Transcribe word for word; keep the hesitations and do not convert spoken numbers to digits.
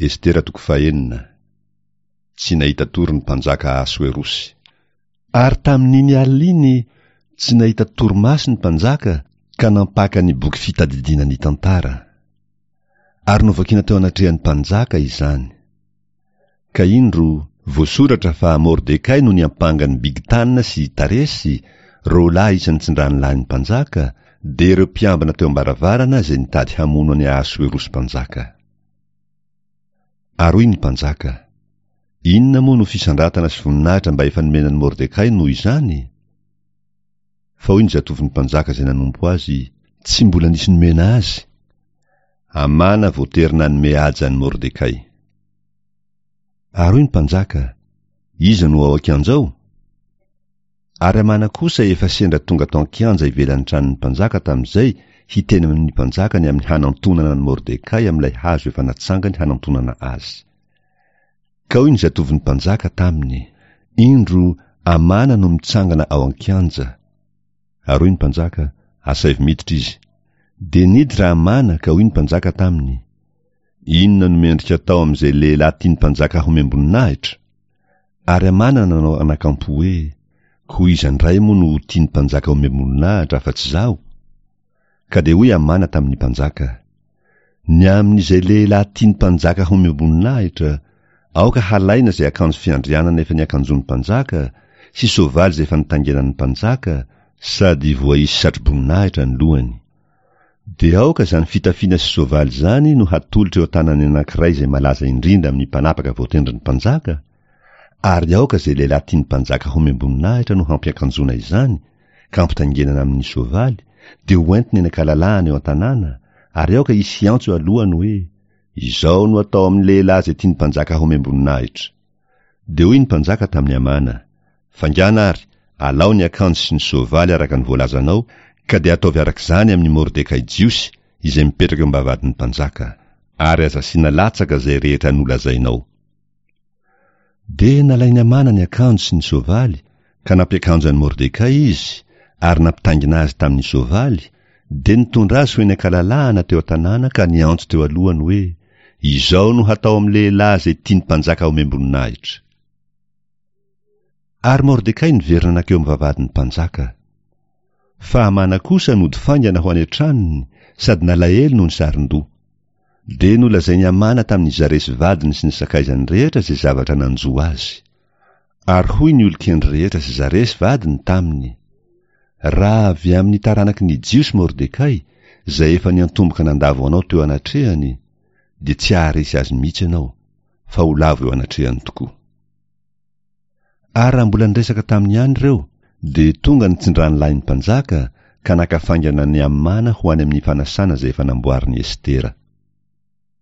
Estera toko fahenina. Tsy nahita tory ny mpanjaka Ahasoerosy. Ary tamin'iny alina iny, tsy nahita torimaso ny mpanjaka ka nampaka ny boky fitadidiana ny tantara. Ary novakina teo anatrehan'ny mpanjaka izany. Ka indro, voasoratra fa Mordekay no niampanga an'i Bigtana sy Taresy, roa lahy isan'ny tsindranolahin'ny mpanjaka, dia ireo mpiambina teo am-baravarana izay nitady hamono an'i Ahasoerosy mpanjaka. Ary hoy ny mpanjaka, Inona moa no fisandratana sy voninahitra mba efa nomena an'i Mordekay noho izany? Fa hoy ny zatovon'ny mpanjaka izay nanompo azy, Tsy mbola nisy nomena azy. Hamana voatery nanome haja an'i Mordekay. Ary hoy ny mpanjaka, Iza no ao an-kianja ao? Ary Hamana kosa efa sendra tonga tao an-kianja ivelan'ny tranon'ny mpanjaka tamin'izay hiteny amin'ny mpanjaka ny amin'ny hanantonana an'i Mordekay amin'ilay hazo efa natsangany hanantonana azy. Ka hoy ny zatovon'ny mpanjaka taminy, Indro, Hamana no mitsangana ao an-kianja. Ary hoy ny mpanjaka, Asaivo miditra izy. Dia niditra Hamana ka hoy ny mpanjaka taminy, Inona no mendrika atao amin'izay lehilahy tian'ny mpanjaka homem-boninahitra? Ary Hamana nanao anakampo hoe, Koa iza indray moa no ho tian'ny mpanjaka homem-boninahitra afa-tsy izaho? Ka dia hoy Hamana tamin'ny mpanjaka, Ny amin'izay lehilahy tian'ny mpanjaka homem-boninahitra, aoka halaina izay akanjo fiandrianana efa niakanjoan'ny mpanjaka, sy soavaly izay efa nitaingenan'ny mpanjaka, sady voaisy satroboninahitra ny lohany. Dia aoka izany fitafiana sy soavaly izany no hatolotra eo an-tanan'ny anankiray izay malaza indrindra amin'ny mpanapaka voatendrin'ny mpanjaka, ary aoka izay lehilahy tian'ny mpanjaka homem-boninahitra no hampiakanjoana izany, ka ampitaingenana amin'ny soavaly, dia hoentiny eny an-kalalahana eo an-tanàna, ary aoka hisy hiantso alohany hoe, Izao no atao amin'ny lehilahy izay tian'ny mpanjaka homem-boninahitra. Dia hoy ny mpanjaka tamin'i Hamana, Faingàna àry, alao ny akanjo sy ny soavaly araka ny voalazanao, ka dia ataovy araka izany amin'i Mordekay Jiosy, izay mipetraka eo am-bavahadin'ny mpanjaka. Ary aza asiana latsaka izay rehetra nolazainao. Dia nalain'i Hamana ny akanjo sy ny soavaly, ka nampiakanjo an'i Mordekay izy, ary nampitaingina azy tamin'ny soavaly, dia nitondra azy ho eny an-kalalahana teo an-tanàna ka niantso teo alohany hoe, Izao no hatao amin'ny lehilahy izay tian'ny mpanjaka homem-boninahitra. Ary Mordekay niverina nankeo amin'ny vavahadin'ny mpanjaka. Fa Hamana kosa nody faingana ho any an-tranony sady nalahelo noho ny sarin-doha. Dia nolazain'i Hamana tamin'i Zaresy vadiny sy ny sakaizany rehetra izay zavatra nanjo azy. Ary hoy ny olon-kendry rehetra sy Zaresy vadiny taminy, Raha avy amin'ny taranaky ny Jiosy Mordekay, izay efa niantomboka nandavo anao teo anatrehany, dia tsy haharesy azy mihitsy ianao, fa ho lavo eo anatrehany tokoa. Ary raha mbola niresaka taminy ihany ireo, dia tonga ny tsindranolahin'ny mpanjaka ka naka faingana an'i Hamana ho any amin'ny fanasana izay efa namboarin'i Estera.